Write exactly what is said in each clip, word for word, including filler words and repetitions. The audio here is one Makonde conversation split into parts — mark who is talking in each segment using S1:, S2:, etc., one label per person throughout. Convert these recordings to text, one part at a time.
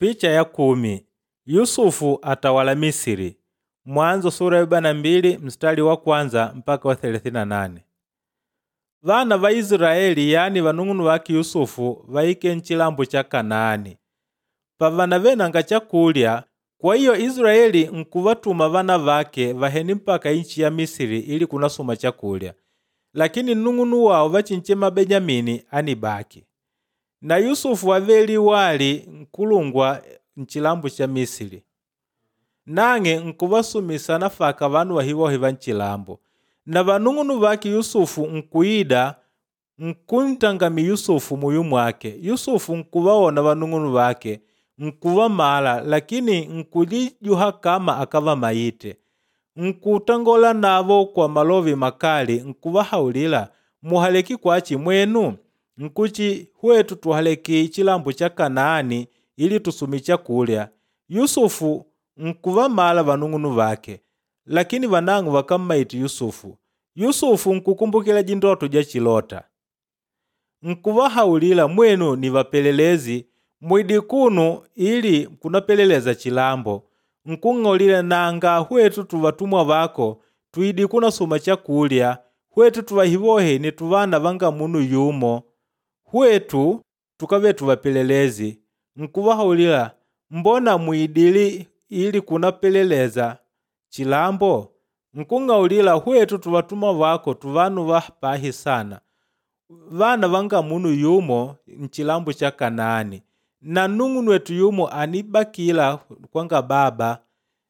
S1: Picha ya kumi Yusufu atawala Misiri. Mwanzo sura ya arobaini na mbili mstari wa kwanza mpaka wa thelathini na nane. Vana va Israeli yani vanung'unu wake Yusufu vaike nchilambo cha Kanaani. Pavana venanga chakulya, kwa hiyo Israeli nkuvatuma vana vake vaheni mpaka inchi ya Misiri ili kunasuma chakulya. Lakini nnung'unu wao vachinchema Benyamini anibaki. Na Yusufu aveli wali nkulungwa nchilambo cha Misiri. Nang'e nkuvasumisa nafaka vanu vahivohe va nchilambo. Na vanung'unu vake Yusufu nkuida nkuntangami Yusufu muyu mwake. Yusufu nkuvaona vanung'unu vake nkuvamala, lakini nkulijuha kama akavamaite. Nkutangola navo kwa malovi makali nkuvahaulila, muhaleki kwachi mwenu? Nkuchi hwetu tuhaleki chilambo cha Kanaani ili tusumi chakulya. Yusufu nkuvamala vanung'unu vake, lakini vanang'o vakammaiti Yusufu. Yusufu nkukumbukila jindoto ja chilota. Nkuvahaulila, mwenu ni vapelelezi mwidi kunu ili kunapeleleza chilambo. Nkung'olila nanga hwetu tuvatumwa vako twidi kunasuma chakulya, hwetu tuvahivohe ni tuvana vanga munu yumo, hwetu tukave tuvapelelezi. Nkuvahaulila, mbona mwidili ili kunapeleleza chilambo? Nkung'aulila hwetu tuvatumwa vako tuvanu vapahi sana, vana vanga munu yumo nchilambo cha Kanaani, na nung'unu wetu yumo anibakila kwanga baba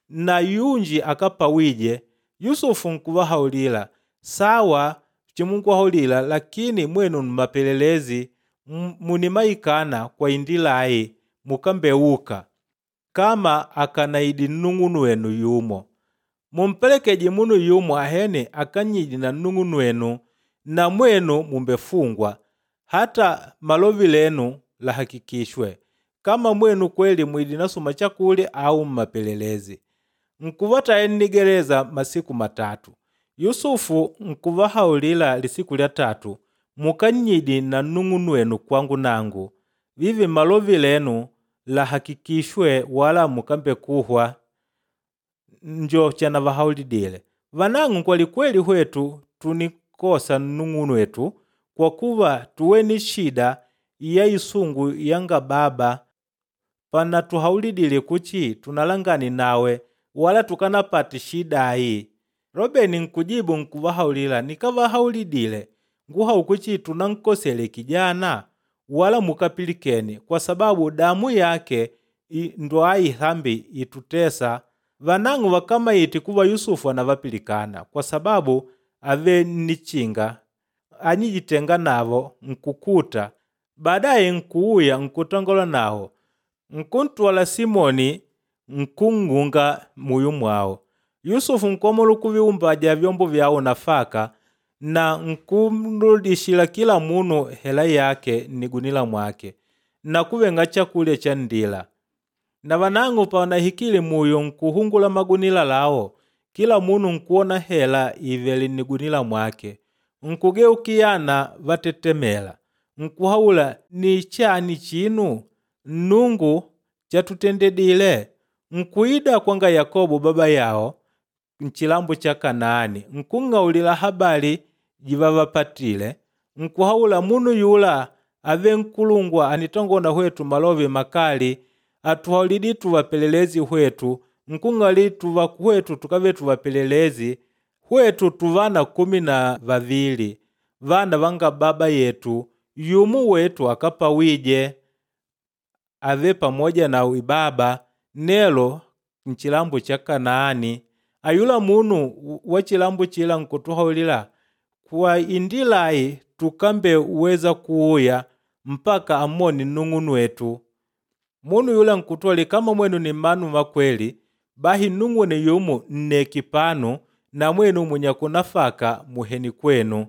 S1: na yunji akapawije. Yusufu nkuvahaulila, sawa chimunkuhaulila, lakini mwenu mmapelelezi munimaikana kwa indilai mukambeuka kama akanaidi nnung'unu wenu yumo. Mumpelekeje munu yumo ahene akanyidi na nnung'unu wenu, na mwenu mumbefungwa hata malovi lenu lahakikishwe kama mwenu kweli mwidi nasuma chakulya au mmapelelezi. Nkuvataya nnigereza masiku matatu. Yusufu nkuvahaulila lisiku lya tatu, mukanyidi na nnung'unu wenu kwangu nangu, vivi malovi lenu lahakikishwe wala mukambekuhwa. Njo chanavahaulidile. Vanang'o kwalikweli hwetu tunikosa nnung'unu wetu kwa kuva tuwe shida ya isungu yanga baba pana tuhaulidile kuchi tunalangani nawe wala tukanapati shidayi. Robeni nkujibu nkuvahaulila, nikavahaulidile nguhau kuchi tunankosele kijana wala mukapilikeni, kwa sababu damu yake ndo ihambi itutesa. Vanang'o vakamaiti kuva Yusufu anavapilikana kwa sababu ave nichinga anyijitenga navo nkukuta. Baadaye nkuuya nkutangola nao nkuntwala Simoni nkung'unga muyu mwao. Yusufu nkomola kuviumbaja vyombo vyao nafaka na nkumrudishila kila munu hela yake nnigunila mwake na kuvenga chakulya cha ndila. Na vanang'o panahikile muyo nkuhungula magunila lao, kila munu nkuona hela ivele nnigunila mwake. Nkugeukiyana vatetemela nkuhaula, ni chani chinu Nnungu chatutendedile? Nkuida kwanga Yakobo baba yao nchilambo cha Kanaani, nkung'aulila habari jivavapatile. Nkuhaula, munu yula ave nkulungwa anitongona hwetu malovi makali, atuhaulidi tuvapelelezi hwetu, nkung'ali tuva hwetu tukave tuvapelelezi hwetu tuvana kumi na vavili vana vanga baba yetu, yumu wetu akapawije ave pamoja na ibaba nelo nchilambo cha Kanaani. Ayula munu wa chilambo chila nkutuhaulila, kwa indilai tukambe uweza kuuya mpaka amoni nnung'unu wetu. Munu yula nkutwali, kama mwenu ni manu makweli, bahi nnung'une yumu nneki panu na mwenu munyakunafaka muheni kwenu.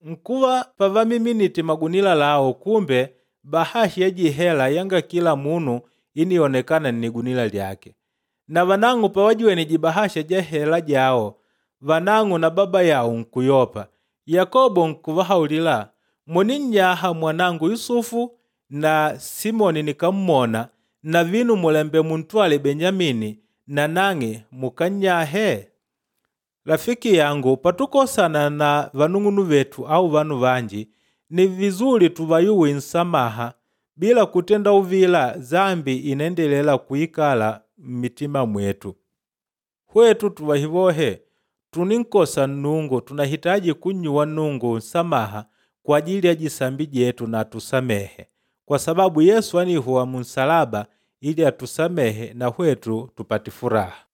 S1: Nkuva pavamiminiti magunila lao, kumbe bahashi ya jihela yanga kila munu inionekana nnigunila lyake. Na vanang'o pawajiwene jibahasha ja hela jao, vanang'o na baba yao nkuyopa. Yakobo nkuvahaulila, muninyaha mwanangu Yusufu na Simoni nikammona Na vinu mulembe muntwale Benyamini na nang'e mukannyahe? Rafiki yangu, patukosana na vanung'unu vetu au vanu vanji, ni vizuri tuvayuwe nsamaha bila kutenda uvila zambi inaendelela kuikala mmitima mwetu. Hwetu tuvahivohe tuninkosa Nnungu tunahitaji kunnyuwa Nnungu nsamaha kwa ajili ya jisambi jetu na atusamehe kwa sababu Yesu anihuwa munsalaba ili atusamehe na hwetu tupate furaha.